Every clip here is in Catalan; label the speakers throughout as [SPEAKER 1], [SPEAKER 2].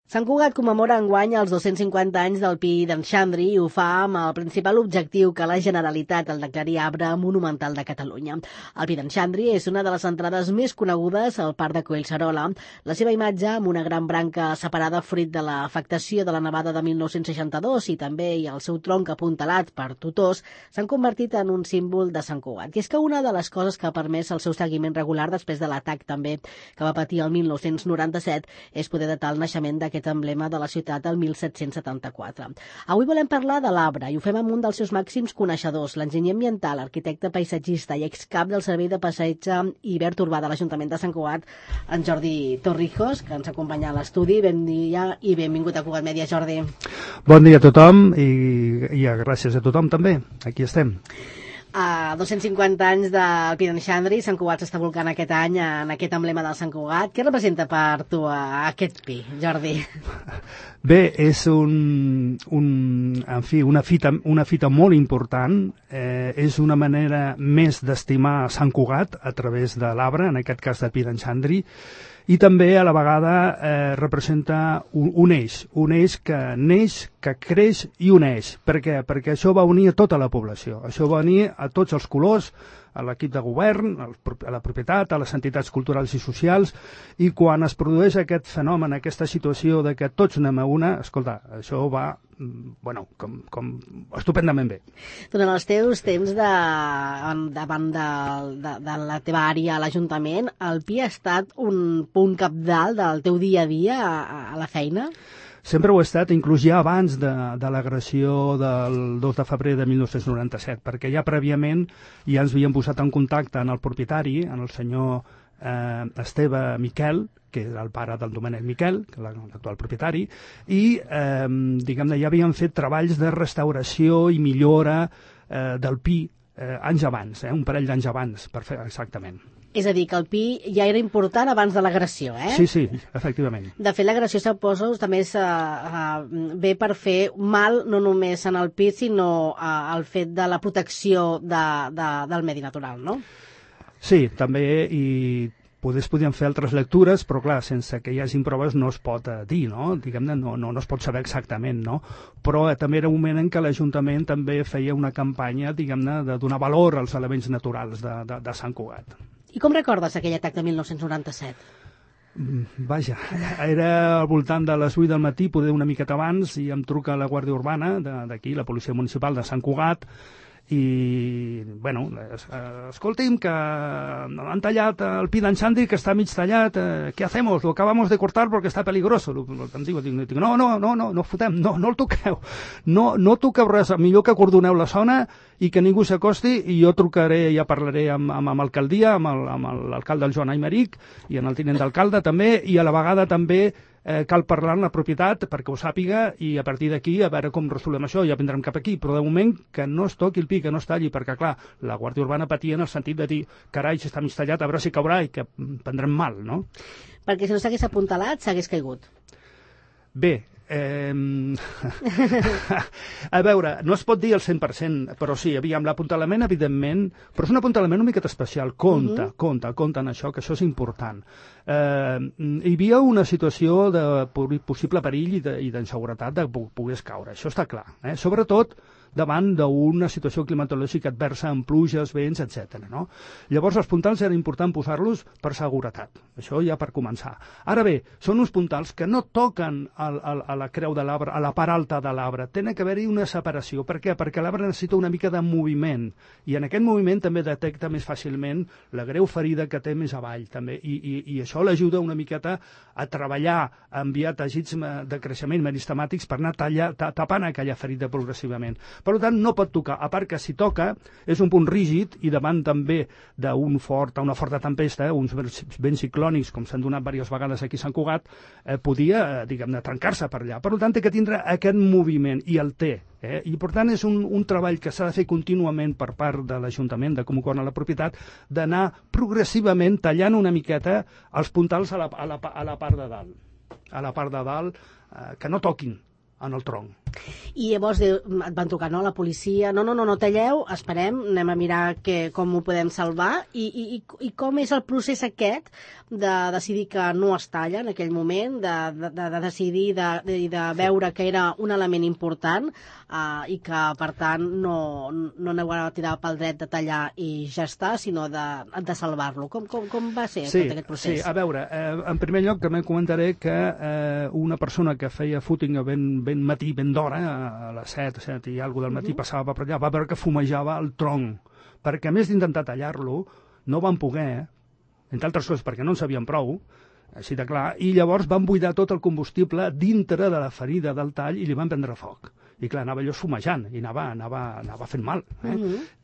[SPEAKER 1] Sant Cugat commemora enguany els 250 anys del Pi d'en Xandri i ho fa amb el principal objectiu que la Generalitat el declari arbre monumental de Catalunya. El Pi d'en Xandri és una de les entrades més conegudes al Parc de Collserola. La seva imatge, amb una gran branca separada fruit de l'afectació de la nevada de 1962 i també el seu tronc apuntalat per tutors, s'han convertit en un símbol de Sant Cugat. I és que una de les coses que ha permès el seu seguiment regular després de l'atac també que va patir el 1997 és poder datar el naixement d'aquest emblema de la ciutat del 1774. Avui volem parlar de l'arbre i ho fem amb un dels seus màxims coneixedors, l'enginyer ambiental, arquitecte paisatgista i excap del Servei de Passeig i Verd Urbà de l'Ajuntament de Sant Cugat, en Jordi Torrijos, que ens acompanya a l'estudi. Bon dia i benvingut a Cugat Mèdia, Jordi.
[SPEAKER 2] Bon dia a tothom i gràcies a tothom també. Aquí estem.
[SPEAKER 1] A 250 anys del Pi d'en Xandri, Sant Cugat s'està volcant aquest any en aquest emblema del Sant Cugat. Què representa per tu aquest pi, Jordi?
[SPEAKER 2] Bé, és una fita molt important. És una manera més d'estimar Sant Cugat a través de l'arbre, en aquest cas del Pi d'en Xandri, i també a la vegada representa un eix que neix, que creix i uneix. Per què? Perquè això va unir a tota la població, això va unir a tots els colors, a l'equip de govern, a la propietat, a les entitats culturals i socials, i quan es produeix aquest fenomen, aquesta situació de que tots anem a una, escolta, això va com estupendament bé.
[SPEAKER 1] Durant els teus temps davant de la teva àrea a l'Ajuntament, el Pi ha estat un punt cabdal del teu dia a dia a la feina?
[SPEAKER 2] Sempre ho ha estat, inclús ja abans de l'agressió del 2 de febrer de 1997, perquè ja prèviament ja ens havíem posat en contacte amb el propietari, en el senyor Esteve Miquel, que era el pare del Domènec Miquel, l'actual propietari, i diguem-ne ja havien fet treballs de restauració i millora del Pi anys abans, un parell d'anys abans, per fer exactament.
[SPEAKER 1] És a dir, que el Pi ja era important abans de l'agressió, eh?
[SPEAKER 2] Sí, efectivament.
[SPEAKER 1] De fet, l'agressió, suposo, també ve per fer mal no només en el Pi, sinó al fet de la protecció del medi natural, no?
[SPEAKER 2] Sí, també, i podríem fer altres lectures, però clar, sense que hi hagi proves no es pot dir, no? Diguem-ne, no es pot saber exactament, no? Però també era un moment en què l'Ajuntament també feia una campanya, diguem-ne, de donar valor als elements naturals de Sant Cugat.
[SPEAKER 1] I com recordes aquell atac de 1997?
[SPEAKER 2] Vaja, era al voltant de les 8 del matí, poder una miqueta abans, i em truca la Guàrdia Urbana d'aquí, la Policia Municipal de Sant Cugat, i, bueno, escolti'm, que han tallat el Pi d'en Xandri, que està mig tallat, ¿qué hacemos? Lo acabamos de cortar porque está peligroso. Em dic, no fotem, no el toqueu, no toqueu res, millor que acordoneu la zona i que ningú s'acosti, i jo trucaré, ja parlaré amb l'alcaldia, amb l'alcalde, el Joan Aymeric, i amb el tinent d'alcalde també, i a la vegada també cal parlar amb la propietat perquè ho sàpiga, i a partir d'aquí a veure com resolem això, ja vindrem cap aquí, però de moment que no es toqui el Pi, que no es talli, perquè clar, la Guàrdia Urbana patia en el sentit de dir, carai, si està mig tallat, a veure si caurà i que prendrem mal, no?
[SPEAKER 1] Perquè si no s'hagués apuntalat, s'hagués caigut.
[SPEAKER 2] Bé, a veure, no es pot dir el 100%, però sí, aviam, l'apuntalament, evidentment, però és un apuntalament una miqueta especial. Compte en això, que això és important. Hi havia una situació de possible perill i d'inseguretat de que pogués caure, això està clar, sobretot davant d'una situació climatològica adversa amb pluges, vents, etc. No? Llavors els puntals era important posar-los per seguretat, això ja per començar. Ara bé, són uns puntals que no toquen a la creu de l'arbre, a la part alta de l'arbre, tenen que haver-hi una separació. Per què? Perquè l'arbre necessita una mica de moviment, i en aquest moviment també detecta més fàcilment la greu ferida que té més avall, també, i això l'ajuda una miqueta a treballar, a enviar teixits de creixement meristemàtics per anar tapant aquella ferida progressivament. Per tant, no pot tocar, a part que si toca és un punt rígid, i davant també d'una forta tempesta, uns vents ciclònics, com s'han donat diverses vegades aquí a Sant Cugat, podia, diguem-ne, trencar-se per allà. Per tant, té que tindre aquest moviment, i el té. I per tant és un treball que s'ha de fer contínuament per part de l'Ajuntament, de com ho corna la propietat, d'anar progressivament tallant una miqueta els puntals a la part de dalt, que no toquin en el tronc.
[SPEAKER 1] I llavors et van trucar, no, la policia, no talleu, esperem, anem a mirar com ho podem salvar, i com és el procés aquest de decidir que no es talla en aquell moment, de decidir de veure que era un element important i que, per tant, no aneu a tirar pel dret de tallar i ja està, sinó de salvar-lo. Com va ser tot aquest procés?
[SPEAKER 2] Sí, a veure, en primer lloc també comentaré que una persona que feia footing ben matí, ben d'hora, a les 7 i alguna del matí passava per allà, va veure que fumejava el tronc, perquè a més d'intentar tallar-lo, no van poder, entre altres coses perquè no en sabien prou, així de clar, i llavors van buidar tot el combustible dintre de la ferida del tall i li van prendre foc. I clar, anava allò fumejant i anava fent mal.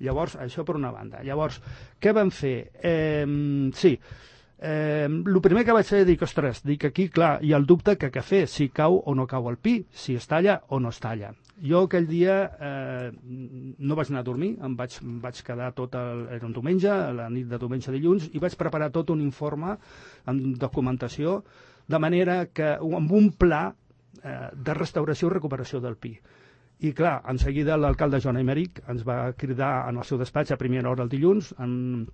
[SPEAKER 2] Llavors, això per una banda. Llavors, què van fer? El primer que vaig fer, ostres, aquí, clar, hi ha el dubte que què fer, si cau o no cau el pi, si es talla o no es talla. Jo aquell dia no vaig anar a dormir, vaig quedar era un diumenge, la nit de diumenge a dilluns, i vaig preparar tot un informe amb documentació, de manera que, amb un pla de restauració i recuperació del pi. I clar, en seguida l'alcalde Joan Aymeric ens va cridar en el seu despatx a primera hora el dilluns, amb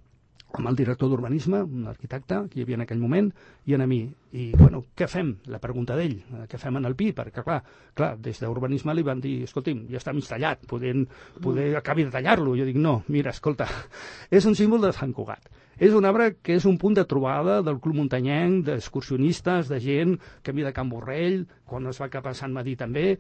[SPEAKER 2] el director d'urbanisme, un arquitecte que hi havia en aquell moment, i a mi. I, bueno, què fem? La pregunta d'ell, què fem en el pi? Perquè, clar, des d'urbanisme li van dir, escolti'm, ja està mig tallat, poder acabi de tallar-lo. Jo dic, no, mira, escolta, és un símbol de Sant Cugat. És un arbre que és un punt de trobada del Club Muntanyenc, d'excursionistes, de gent que ve de Can Borrell, quan es va cap a Sant Madí també.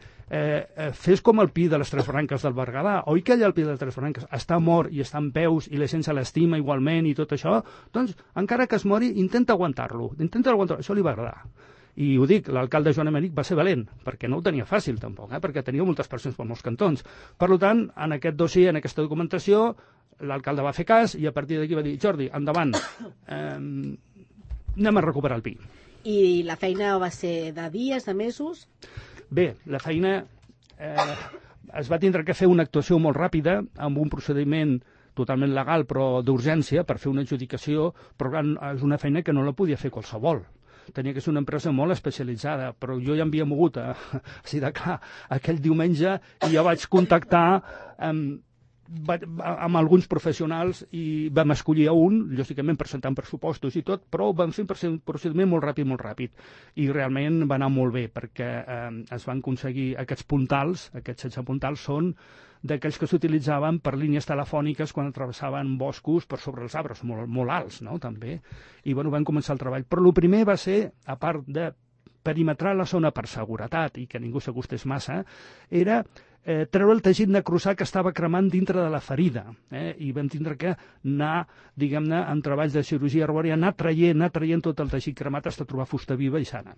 [SPEAKER 2] Fes com el pi de les Tres Branques del Berguedà. Oi que allà el pi de les Tres Branques està mort i està en peus i la gent se l'estima igualment i tot això? Doncs, encara que es mori, intenta aguantar-lo. Això li va agradar. I ho dic, l'alcalde Joan Aymeric va ser valent, perquè no ho tenia fàcil tampoc, perquè tenia moltes persones per molts cantons. Per tant, en aquest dossier, en aquesta documentació, l'alcalde va fer cas i a partir d'aquí va dir, Jordi, endavant, anem a recuperar el pi.
[SPEAKER 1] I la feina va ser de dies, de mesos?
[SPEAKER 2] Bé, la feina es va tindre que fer una actuació molt ràpida, amb un procediment totalment legal, però d'urgència, per fer una adjudicació, però és una feina que no la podia fer qualsevol. Tenia que ser una empresa molt especialitzada, però jo ja m'havia mogut així de clar aquell diumenge i ja vaig contactar amb alguns professionals i vam escollir un, lògicament presentant pressupostos i tot, però vam fer un procediment molt ràpid. I realment va anar molt bé, perquè es van aconseguir aquests puntals, aquests 16 puntals són d'aquells que s'utilitzaven per línies telefòniques quan travessaven boscos per sobre els arbres, molt alts, no?, també. I, bueno, van començar el treball. Però el primer va ser, a part de perimetrar la zona per seguretat i que ningú s'acostés massa, era treure el teixit necrosat que estava cremant dintre de la ferida. I vam tindre que anar, diguem-ne, en treballs de cirurgia arbòria, anar traient tot el teixit cremat fins a trobar fusta viva i sana.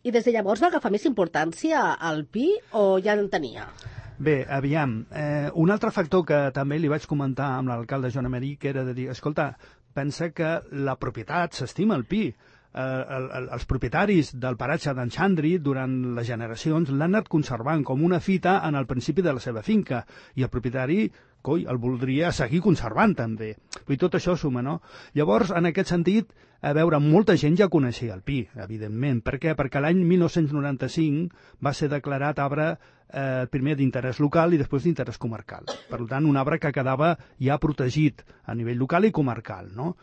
[SPEAKER 1] I des de llavors va agafar més importància el pi o ja en tenia?
[SPEAKER 2] Bé, aviam, un altre factor que també li vaig comentar amb l'alcalde Joan Aymeric era de dir, escolta, pensa que la propietat s'estima el pi. Els propietaris del paratge d'en Xandri durant les generacions l'han anat conservant com una fita en el principi de la seva finca i el propietari el voldria seguir conservant també. I tot això suma, no? Llavors, en aquest sentit, a veure, molta gent ja coneixia el pi, evidentment. Per què? Perquè l'any 1995 va ser declarat arbre primer d'interès local i després d'interès comarcal. Per tant, un arbre que quedava ja protegit a nivell local i comarcal, no?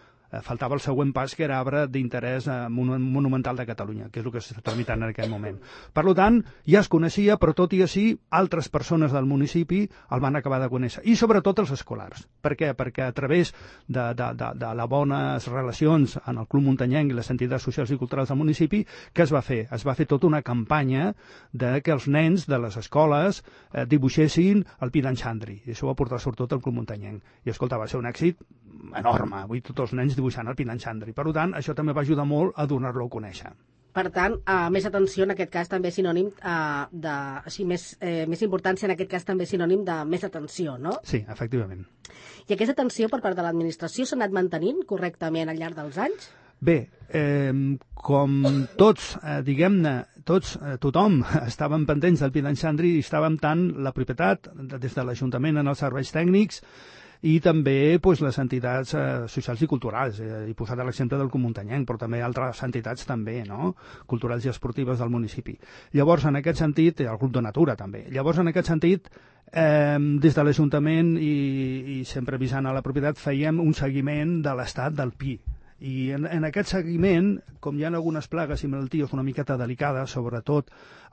[SPEAKER 2] Faltava el següent pas, que era arbre d'interès monumental de Catalunya, que és el que s'està tramitant en aquest moment. Per tant, ja es coneixia, però tot i així, altres persones del municipi el van acabar de conèixer, i sobretot els escolars. Per què? Perquè a través de les bones relacions en el Club Muntanyenc i les entitats socials i culturals del municipi, què es va fer? Es va fer tota una campanya de que els nens de les escoles dibuixessin el pi d'en Xandri, i això va portar sobretot al Club Muntanyenc. I escolta, va ser un èxit enorme, avui tots els nens dibuixant el pi d'en Xandri. Per tant, això també va ajudar molt a donar-lo a conèixer.
[SPEAKER 1] Per tant, més atenció en aquest cas també sinònim més importància en aquest cas també sinònim de més atenció, no?
[SPEAKER 2] Sí, efectivament.
[SPEAKER 1] I aquesta atenció per part de l'administració s'ha anat mantenint correctament al llarg dels anys?
[SPEAKER 2] Bé, com tots, diguem-ne, tothom estaven pendents del pi d'en Xandri i estàvem tant la propietat, des de l'Ajuntament en els serveis tècnics, i també les entitats socials i culturals. He posat l'exemple del Comuntanyenc, però també altres entitats també, no? Culturals i esportives del municipi. Llavors, en aquest sentit, el Club de Natura també. Llavors, en aquest sentit, des de l'Ajuntament i sempre avisant a la propietat, fèiem un seguiment de l'estat del pi. I en aquest seguiment, com hi ha algunes plagues i malalties una miqueta delicades, sobretot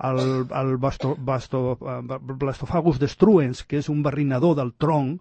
[SPEAKER 2] el Blastofagus destruens, que és un barrinador del tronc,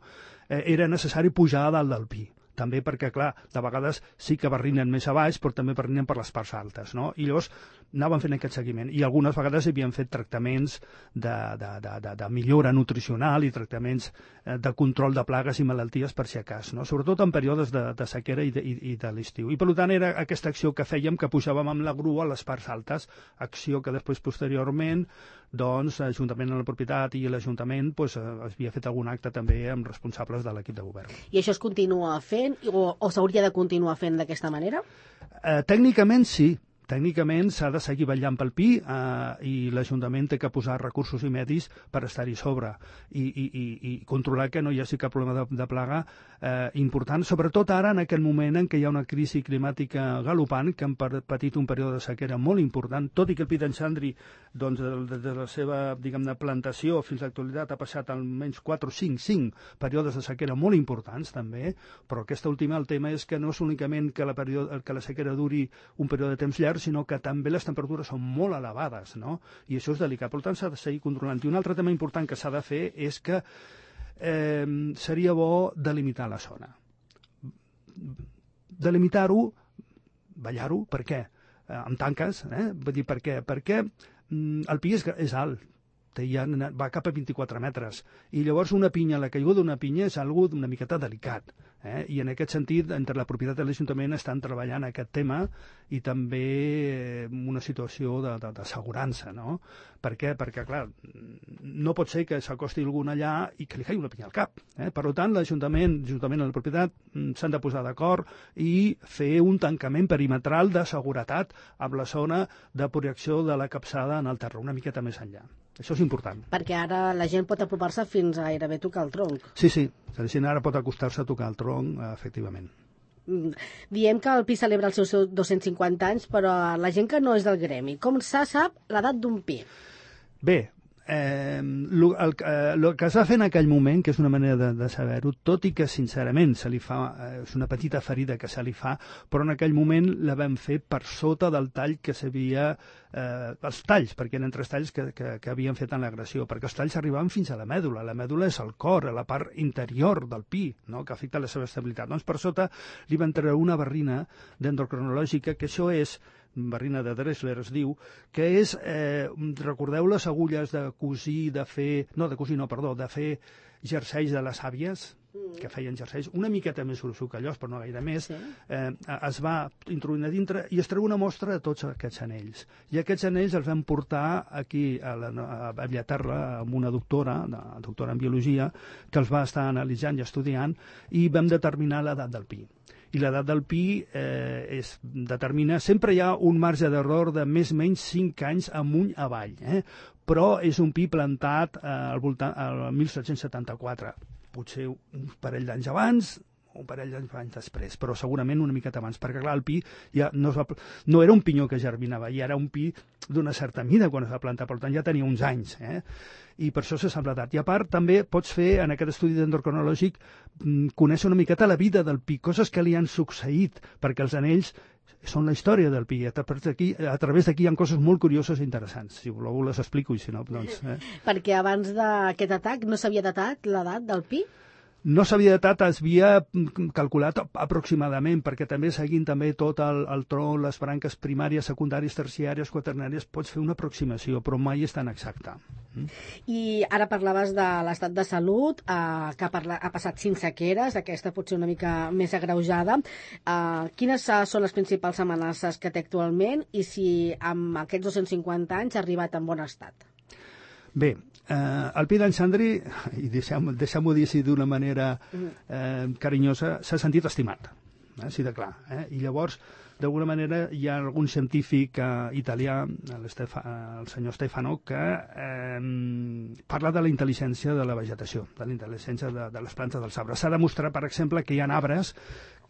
[SPEAKER 2] era necessari pujar a dalt del pi. També perquè, clar, de vegades sí que barrinen més a baix, però també barrinen per les parts altes, no? I llavors anaven fent aquest seguiment. I algunes vegades havien fet tractaments de millora nutricional i tractaments de control de plagues i malalties per si acas, no? Sobretot en períodes de sequera i de l'estiu. I per tant era aquesta acció que fèiem, que pujàvem amb la grua a les parts altes, acció que després posteriorment l'Ajuntament de la propietat i l'Ajuntament havia fet algun acte també amb responsables de l'equip de govern.
[SPEAKER 1] I això es continua fent o s'hauria de continuar fent d'aquesta manera?
[SPEAKER 2] Tècnicament sí. Tècnicament s'ha de seguir vetllant pel pi i l'Ajuntament té que posar recursos i medis per estar-hi sobre i controlar que no hi hagi cap problema de plaga important, sobretot ara en aquest moment en què hi ha una crisi climàtica galopant, que han patit un període de sequera molt important, tot i que el pi d'en Xandri, des de la seva, diguem-ne, plantació fins a l'actualitat ha passat almenys 4 o 5 períodes de sequera molt importants també, però aquesta última, el tema és que no és únicament que la sequera duri un període de temps llarg, sinó que també les temperatures són molt elevades, no? I això és delicat. Per tant, s'ha de seguir controlant. I un altre tema important que s'ha de fer és que seria bo delimitar la zona. Delimitar-ho, ballar-ho, per què? Amb tanques, vull dir, per què? Perquè el pi és alt, va cap a 24 metres, i llavors la caiguda d'una pinya és algo una miqueta delicat, i en aquest sentit, entre la propietat i l'Ajuntament estan treballant aquest tema i també una situació d'assegurança, no? Per què? Perquè, clar, no pot ser que s'acosti algú allà i que li caigui una pinya al cap. Per tant, l'Ajuntament i la propietat s'han de posar d'acord i fer un tancament perimetral de seguretat amb la zona de projecció de la capçada en el terra, una miqueta més enllà. Això és important.
[SPEAKER 1] Perquè ara la gent pot apropar-se fins a gairebé tocar el tronc.
[SPEAKER 2] Sí, la gent ara pot acostar-se a tocar el tronc, efectivament.
[SPEAKER 1] Diem que el pi celebra els seus 250 anys, però la gent que no és del gremi, com se sap l'edat d'un pi?
[SPEAKER 2] Bé, el que es va fer en aquell moment, que és una manera de saber-ho, tot i que sincerament se li fa, és una petita ferida que se li fa, però en aquell moment la vam fer per sota del tall que s'havia, els talls, perquè eren 3 talls que havien fet en l'agressió, perquè els talls arribaven fins a la mèdula és el cor, a la part interior del pi, no? Que afecta la seva estabilitat. Doncs per sota li van treure una barrina dendrocronològica, que això és barrina de Dressler es diu, que és, recordeu les agulles de cosir, de fer jerseis de les àvies, que feien jerseis, una miqueta més gruixucallós, però no gaire més, es va introduir a dintre i es treu una mostra de tots aquests anells. I aquests anells els vam portar aquí a Bellaterra amb una doctora en biologia, que els va estar analitzant i estudiant, i vam determinar l'edat del pi. I l'edat del pi determina... Sempre hi ha un marge d'error de més o menys 5 anys amunt avall, però és un pi plantat al 1774. Potser un parell d'anys abans, un parell d'anys després, però segurament una miqueta abans, perquè clar, el pi ja no era un pinyó que germinava, ja era un pi d'una certa mida quan es va plantar, per tant ja tenia uns anys, i per això s'ha semblat. I a part també pots fer, en aquest estudi dendrocronològic, conèixer una miqueta la vida del pi, coses que li han succeït, perquè els anells són la història del pi. A través d'aquí hi ha coses molt curioses i interessants. Si voleu les explico, i si no, doncs...
[SPEAKER 1] Perquè abans d'aquest atac no s'havia datat l'edat del pi?
[SPEAKER 2] No s'havia datat, es havia calculat aproximadament, perquè també seguint també tot el tronc, les branques primàries, secundàries, terciàries, quaternàries, pots fer una aproximació, però mai és tan exacta.
[SPEAKER 1] I ara parlaves de l'estat de salut, que ha passat 5 sequeres, aquesta potser una mica més agreujada. Quines són les principals amenaces que té actualment i si amb aquests 250 anys ha arribat en bon estat? Bé,
[SPEAKER 2] el pi d'en Xandri, i deixem-ho dir així d'una manera carinyosa, s'ha sentit estimat, així de clar. I llavors, d'alguna manera hi ha algun científic italià, el senyor Stefano, que parla de la intel·ligència de la vegetació, de la intel·ligència de les plantes dels arbres. S'ha demostrat, per exemple, que hi ha arbres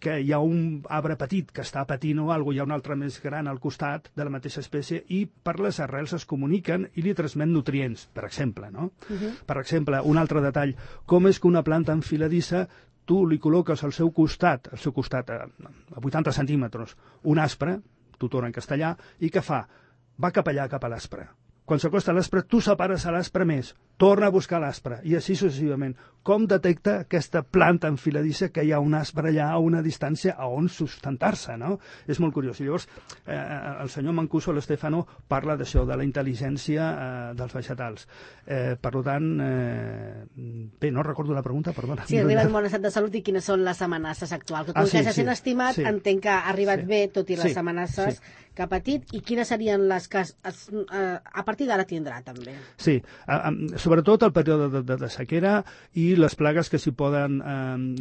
[SPEAKER 2] que hi ha un arbre petit que està patint o alguna cosa, hi ha un altre més gran al costat de la mateixa espècie i per les arrels es comuniquen i li transmet nutrients, per exemple, no? Per exemple, un altre detall, com és que una planta enfiladissa tu li col·loques al seu costat a 80 centímetres, un aspre, tutor en castellà, i què fa? Va cap allà, cap a l'aspre. Quan s'acosta a l'aspre, tu separes a l'aspre més, torna a buscar l'aspre, i així successivament. Com detecta aquesta planta enfiladissa que hi ha un aspre allà a una distància a on sustentar-se, no? És molt curiós. I llavors, el senyor Mancuso, l'Stefano, parla d'això, de la intel·ligència dels vegetals. Per tant, bé, no recordo la pregunta, perdona.
[SPEAKER 1] Sí, arriba en bon estat de salut i quines són les amenaces actuals. Com que ja sent estimat, entenc que ha arribat bé, tot i les amenaces que ha patit, i quines serien les que a partir d'ara tindrà, també?
[SPEAKER 2] Sí, sobretot el període de sequera i les plagues que s'hi poden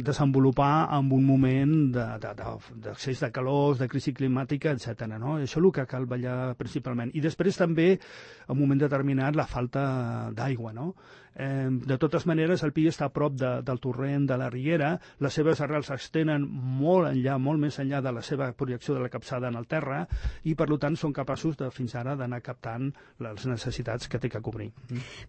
[SPEAKER 2] desenvolupar en un moment d'accés de calors, de crisi climàtica, etc. No? Això és el que cal vetllar principalment. I després també, en un moment determinat, la falta d'aigua, no? De totes maneres, el pi està a prop del torrent de la Riera, les seves arrels s'extenen molt enllà, molt més enllà de la seva projecció de la capçada en el terra, i per tant són capaços fins ara d'anar captant les necessitats que té que cobrir.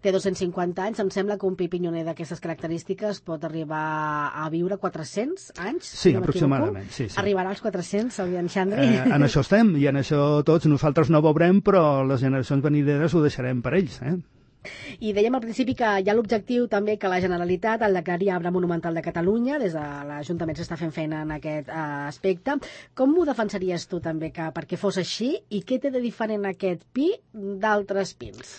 [SPEAKER 1] Té 250 anys, em sembla que un pi pinyoner d'aquestes característiques pot arribar a viure 400 anys?
[SPEAKER 2] Sí, aproximadament. Sí.
[SPEAKER 1] Arribarà als 400, el Pi d'en Xandri?
[SPEAKER 2] En això estem, i en això tots nosaltres no veurem, però les generacions venideres ho deixarem per ells,
[SPEAKER 1] I dèiem al principi que hi ha l'objectiu també que la Generalitat el declari arbre monumental de Catalunya. Des de l'Ajuntament s'està fent feina en aquest aspecte. Com ho defensaries tu també perquè fos així, i què té de diferent aquest pi d'altres pins?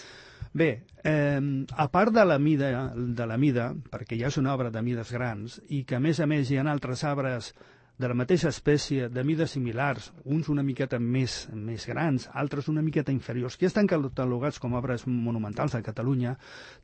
[SPEAKER 2] Bé, a part de la mida, perquè ja és una obra de mides grans, i que a més hi ha altres arbres de la mateixa espècie, de mides similars, uns una miqueta més grans, altres una miqueta inferiors, que estan catalogats com obres monumentals de Catalunya,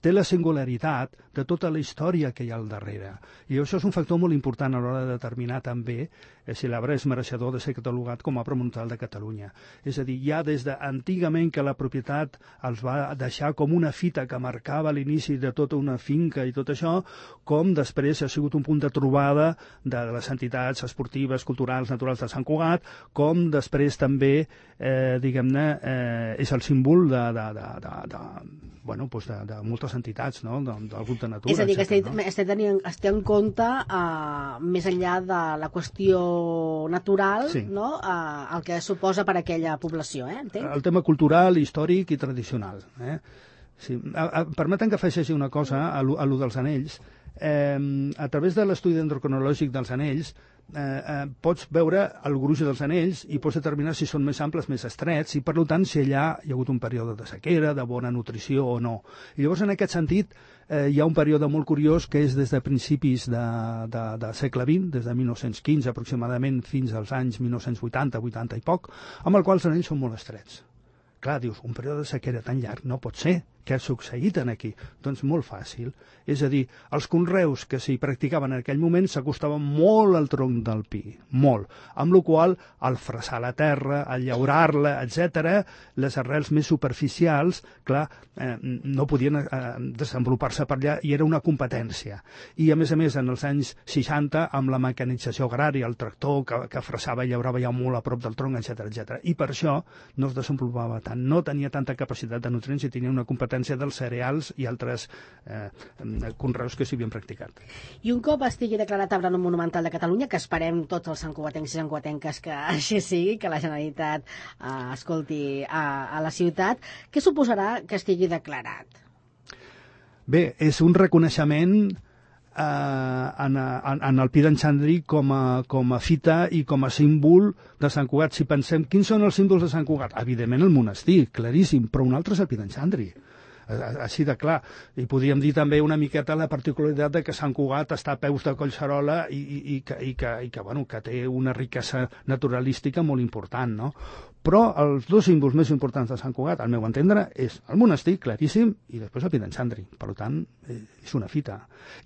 [SPEAKER 2] té la singularitat de tota la història que hi ha al darrere. I això és un factor molt important a l'hora de determinar també si l'arbre és mereixedor de ser catalogat com a obra monumental de Catalunya. És a dir, ja des d'antigament que la propietat els va deixar com una fita que marcava l'inici de tota una finca i tot això, com després ha sigut un punt de trobada de les entitats esportives, culturals, naturals de Sant Cugat, com després també, diguem-ne, és el símbol de moltes entitats, no? Del grup de natura.
[SPEAKER 1] És a dir, que es té en compte, més enllà de la qüestió natural, no? El que suposa per a aquella població, entenc?
[SPEAKER 2] El tema cultural, històric i tradicional. Sí. Permeten que afegeixi una cosa a lo dels anells. A través de l'estudi dendrocronològic dels anells pots veure el gruix dels anells i pots determinar si són més amples, més estrets, i per tant si allà hi ha hagut un període de sequera, de bona nutrició o no. I llavors en aquest sentit hi ha un període molt curiós que és des de principis del segle XX, des de 1915 aproximadament fins als anys 1980, 80 i poc, amb el qual els anells són molt estrets. Clar, dius, un període de sequera tan llarg no pot ser. Què ha succeït aquí? Doncs molt fàcil. És a dir, els conreus que s'hi practicaven en aquell moment s'acostaven molt al tronc del pi, molt. Amb la qual cosa, al fressar la terra, al llaurar-la, etc., les arrels més superficials, clar, no podien desenvolupar-se per allà i era una competència. I, a més, en els anys 60, amb la mecanització agrària, el tractor que fressava i llaurava ja molt a prop del tronc, etc. I per això no es desenvolupava tant. No tenia tanta capacitat de nutrients i tenia una competència dels cereals i altres conreus que s'hi havien practicat.
[SPEAKER 1] I un cop estigui declarat arbre monumental de Catalunya, que esperem tots els santcugatencs i santcugatenques que així sigui, que la Generalitat escolti a la ciutat, què suposarà que estigui declarat?
[SPEAKER 2] Bé, és un reconeixement en el Pi d'en Xandri com a fita i com a símbol de Sant Cugat. Si pensem, quins són els símbols de Sant Cugat? Evidentment el monestir, claríssim, però un altre és el Pi d'en Xandri. Així de clar. I podríem dir també una miqueta la particularitat de que Sant Cugat està a peus de Collserola i que té una riquesa naturalística molt important, no? Però els dos símbols més importants de Sant Cugat, al meu entendre, és el monestir, claríssim, i després el Pi d'en Xandri. Per tant, és una fita.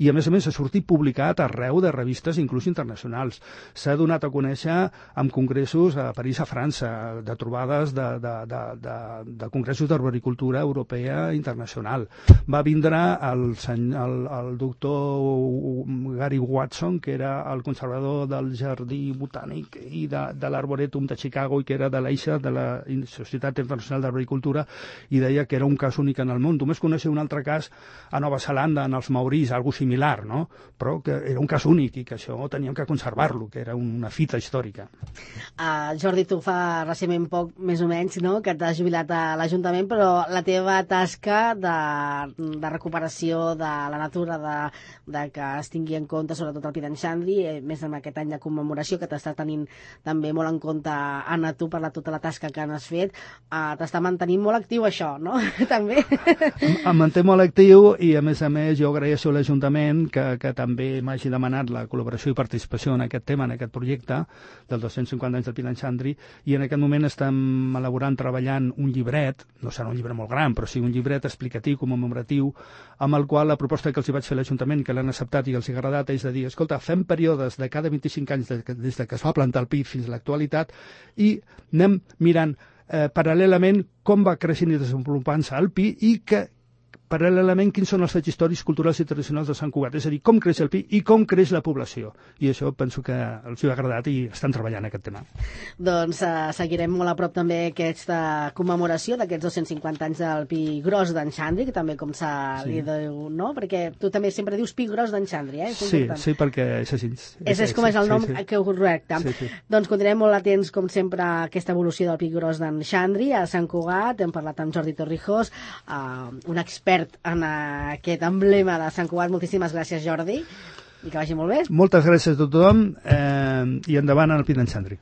[SPEAKER 2] I, a més, ha sortit publicat arreu de revistes, inclús internacionals. S'ha donat a conèixer amb congressos a París, a França, de trobades de congressos d'arboricultura europea internacional. Va vindre el doctor Gary Watson, que era el conservador del Jardí Botànic i de l'Arboretum de Chicago i que era de l'EISA, de la Societat Internacional d'Arboricultura, i deia que era un cas únic en el món. Només coneixia un altre cas a Nova Zelanda, en els maoris, algo similar, no? Però que era un cas únic i que això teníem que conservar-lo, que era una fita històrica.
[SPEAKER 1] Jordi, tu fa recentment poc, més o menys, no?, que t'has jubilat a l'Ajuntament, però la teva tasca de recuperació de la natura, de que es tingui en compte sobretot el Pi d'en Xandri, més en aquest any de commemoració que t'està tenint també molt en compte, Anna, tu, per tota la tasca que has fet, t'està mantenint molt actiu això, no? També.
[SPEAKER 2] Em manté molt actiu i, a més, jo agraeixo a l'Ajuntament que també m'hagi demanat la col·laboració i participació en aquest tema, en aquest projecte dels 250 anys del Pi d'en Xandri, i en aquest moment estem elaborant, treballant un llibret, no serà un llibre molt gran, però sí un llibret explicatiu, commemoratiu, amb el qual la proposta que els hi vaig fer a l'Ajuntament, que l'han acceptat i els hi ha agradat, és de dir, escolta, fem períodes de cada 25 anys des que es va plantar el pi fins a l'actualitat i anem mirant paral·lelament com va creixent i desenvolupant-se el pi i que paral·lelament quins són els fets històrics, culturals i tradicionals de Sant Cugat, és a dir, com creix el pi i com creix la població. I això penso que els ha agradat i estan treballant aquest tema.
[SPEAKER 1] Doncs seguirem molt a prop també aquesta commemoració d'aquests 250 anys del Pi Gros d'en Xandri, que també com li diu, no? Perquè tu també sempre dius Pi Gros d'en Xandri,
[SPEAKER 2] Sí, perquè és així.
[SPEAKER 1] És com és el nom que ho correcte. Doncs continuarem molt atents, com sempre, a aquesta evolució del Pi Gros d'en Xandri a Sant Cugat. Hem parlat amb Jordi Torrijos, un expert en aquest emblema de Sant Cugat. Moltíssimes gràcies, Jordi, i que vagi molt bé.
[SPEAKER 2] Moltes gràcies a tothom i endavant al Pi d'en Xandri.